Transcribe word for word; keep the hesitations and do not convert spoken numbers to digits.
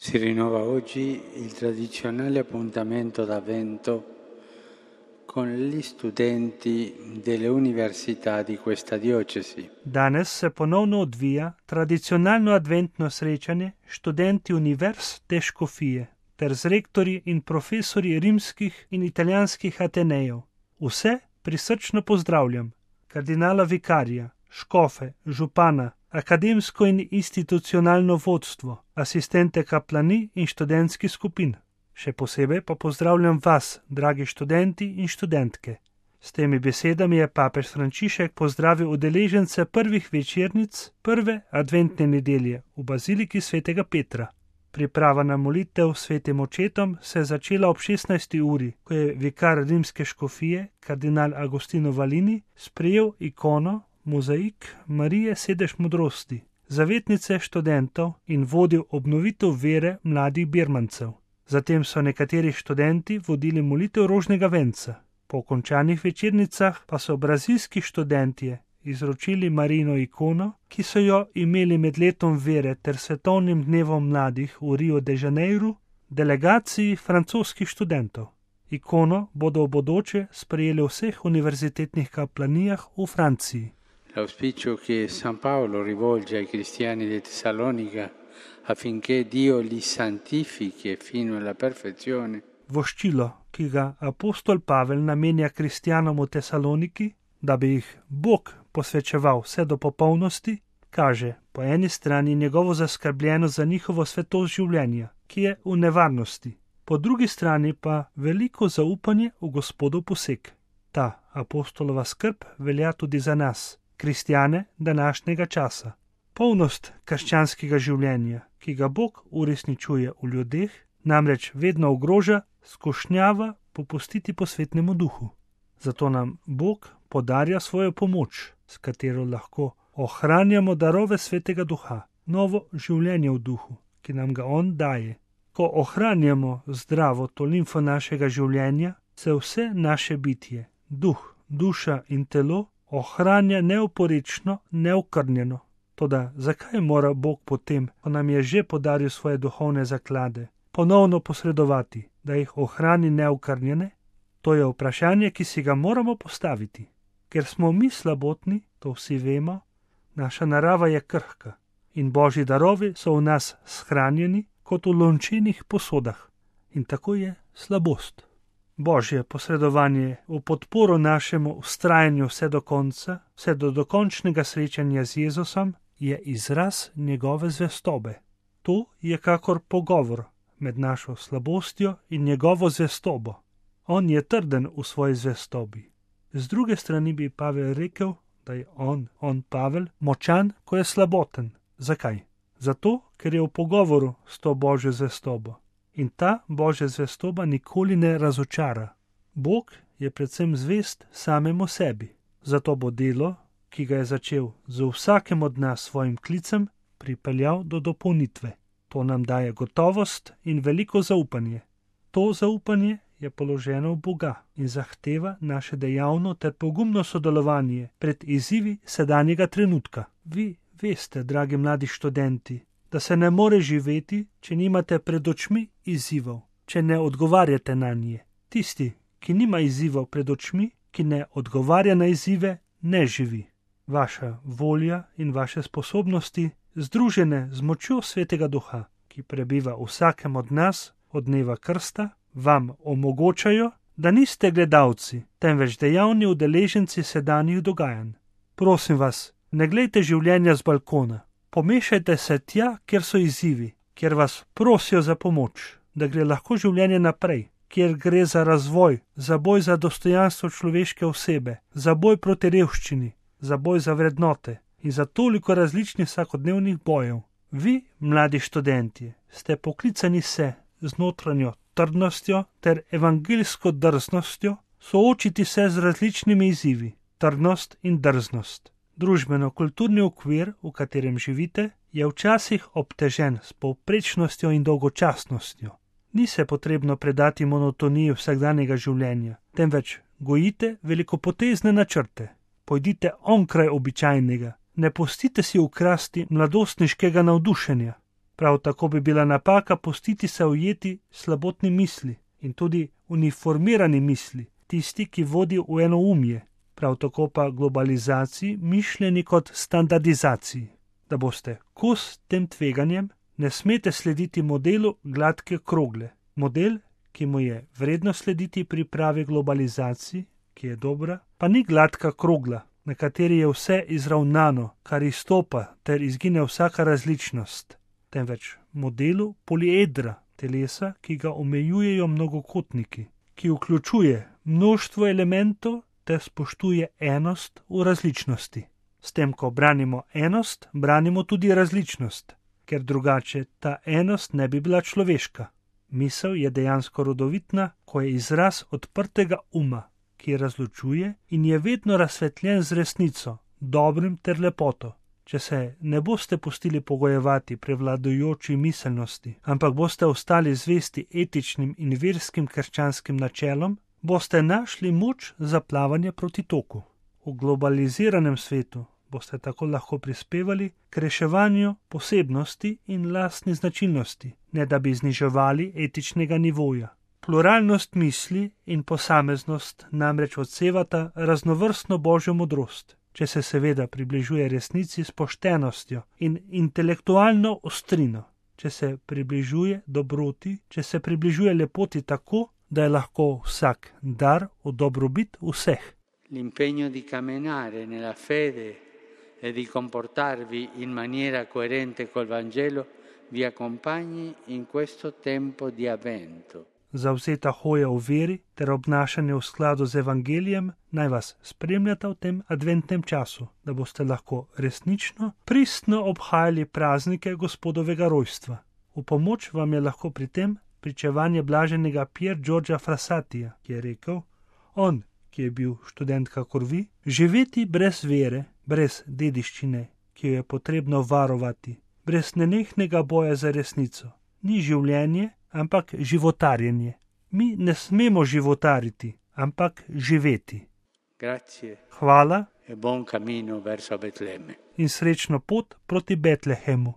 Si rinnova oggi il tradizionale appuntamento d'Avvento con gli studenti delle università di questa diocesi. Danes se ponovno odvija tradicionalno adventno srečanje študenti univerz te škofije ter z rektorji in profesorji rimskih in italijanskih Atenejev. Vse prisrčno pozdravljam, kardinala vikarija, škofe, župana, akademsko in institucionalno vodstvo, asistente kaplani in študentskih skupin. Še posebej pa pozdravljam vas, dragi študenti in študentke. S temi besedami je papež Frančišek pozdravil udeležence prvih večernic prve adventne nedelje v baziliki svetega Petra. Priprava na molitev s svetim očetom se je začela ob šestnajsti uri, ko je vikar rimske škofije, kardinal Agostino Valini, sprejel ikono, mozaik Marije sedež modrosti, zavetnice študentov in vodil obnovitev vere mladih birmancev. Zatem so nekateri študenti vodili molitev rožnega venca. Po končanih večernicah pa so brazilski študentje izročili Marijino ikono, ki so jo imeli med letom vere ter svetovnim dnevom mladih v Rio de Janeiro, delegaciji francoskih študentov. Ikono bodo v bodoče sprejeli v vseh univerzitetnih kaplanijah v Franciji. L'auspicio che San Paolo rivolge ai cristiani di Tessalonica affinché Dio li santifichi fino alla perfezione. Voščilo, ki ga apostol Pavel namenja kristjanom v Tesaloniki, da bi jih Bog posvečeval vse do popolnosti, kaže po eni strani njegovo zaskrbljenost za njihovo svetost življenja, ki je v nevarnosti, po drugi strani pa veliko zaupanje v Gospodov poseg. Ta apostolova skrb velja tudi za nas, kristjane današnjega časa. Polnost krščanskega življenja, ki ga Bog uresničuje v ljudeh, namreč vedno ogroža, skušnjava popustiti po svetnemu duhu. Zato nam Bog podarja svojo pomoč, s katero lahko ohranjamo darove svetega duha, novo življenje v duhu, ki nam ga on daje. Ko ohranjamo zdravo to limfo našega življenja, se vse naše bitje, duh, duša in telo ohranja neoporično, neokrnjeno. Toda zakaj mora Bog potem, ko nam je že podaril svoje duhovne zaklade, ponovno posredovati, da jih ohrani neokrnjene? To je vprašanje, ki si ga moramo postaviti. Ker smo mi slabotni, to vsi vemo, naša narava je krhka in Božji darovi so v nas shranjeni kot v lončenih posodah. In tako je slabost. Božje posredovanje v podporo našemu vztrajanju vse do konca, vse do dokončnega srečanja z Jezusom, je izraz njegove zvestobe. To je kakor pogovor med našo slabostjo in njegovo zvestobo. On je trden v svoji zvestobi. Z druge strani bi Pavel rekel, da je on, on Pavel, močan, ko je slaboten. Zakaj? Zato, ker je v pogovoru s to Božjo zvestobo. In ta Božja zvestoba nikoli ne razočara. Bog je predvsem zvest samemu sebi. Zato bo delo, ki ga je začel z vsakem od nas svojim klicem, pripeljal do dopolnitve. To nam daje gotovost in veliko zaupanje. To zaupanje je položeno v Boga in zahteva naše dejavno ter pogumno sodelovanje pred izzivi sedanjega trenutka. Vi veste, dragi mladi študenti, da se ne more živeti, če nimate pred očmi izzivov, če ne odgovarjate na nje. Tisti, ki nima izzivov pred očmi, ki ne odgovarja na izzive, ne živi. Vaša volja in vaše sposobnosti, združene z močjo svetega duha, ki prebiva v vsakem od nas od dneva krsta, vam omogočajo, da niste gledalci, temveč dejavni udeleženci sedanjih dogajanj. Prosim vas, ne glejte življenja z balkona. Pomešajte se tja, kjer so izzivi, kjer vas prosijo za pomoč, da gre lahko življenje naprej, kjer gre za razvoj, za boj za dostojanstvo človeške osebe, za boj proti revščini, za boj za vrednote in za toliko različnih vsakodnevnih bojev. Vi, mladi študentje, ste poklicani se z notranjo trdnostjo ter evangeljsko drznostjo soočiti se z različnimi izzivi, trdnost in drznost. Družbeno-kulturni okvir, v katerem živite, je včasih obtežen s povprečnostjo in dolgočasnostjo. Ni se potrebno predati monotoniji vsakdanjega življenja, temveč gojite velikopotezne načrte. Pojdite onkraj običajnega, ne pustite si ukrasti mladostniškega navdušenja. Prav tako bi bila napaka pustiti se ujeti slabotni misli in tudi uniformirani misli, tisti, ki vodijo v enoumje, prav tako pa globalizaciji mišljeni kot standardizaciji. Da boste kos tem tveganjem, ne smete slediti modelu gladke krogle. Model, ki mu je vredno slediti pri pravi globalizaciji, ki je dobra, pa ni gladka krogla, na kateri je vse izravnano, kar izstopa ter izgine vsaka različnost, temveč modelu poliedra, telesa, ki ga omejujejo mnogokotniki, ki vključuje mnoštvo elementov ter spoštuje enost v različnosti. S tem, ko branimo enost, branimo tudi različnost, ker drugače ta enost ne bi bila človeška. Misel je dejansko rodovitna, ko je izraz odprtega uma, ki razločuje in je vedno razsvetljen z resnico, dobrim ter lepoto. Če se ne boste pustili pogojevati prevladujoči miselnosti, ampak boste ostali zvesti etičnim in verskim krščanskim načelom, boste našli moč za plavanje proti toku. V globaliziranem svetu boste tako lahko prispevali k reševanju posebnosti in lastni značilnosti, ne da bi zniževali etičnega nivoja. Pluralnost misli in posameznost namreč odsevata raznovrstno božjo modrost, če se seveda približuje resnici s poštenostjo in intelektualno ostrino, če se približuje dobroti, če se približuje lepoti tako, da je lahko vsak dar v dobrobit vseh. L'impegno di camminare nella fede e di comportarvi in maniera coerente col Vangelo vi accompagni in questo tempo di avvento. Zavzeta hoja v veri ter obnašanje v skladu z evangelijem naj vas spremljata v tem adventnem času, da boste lahko resnično, pristno obhajali praznike Gospodovega rojstva. V pomoč vam je lahko pri tem pričevanje blaženega Pier Giorgia Frassatija, ki je rekel: on, ki je bil študent kakor vi, živeti brez vere, brez dediščine, ki jo je potrebno varovati, brez nenehnega boja za resnico, ni življenje, ampak životarjenje. Mi ne smemo životariti, ampak živeti. Grazie. Hvala E buon cammino verso Betlemme. In srečno pot proti Betlehemu.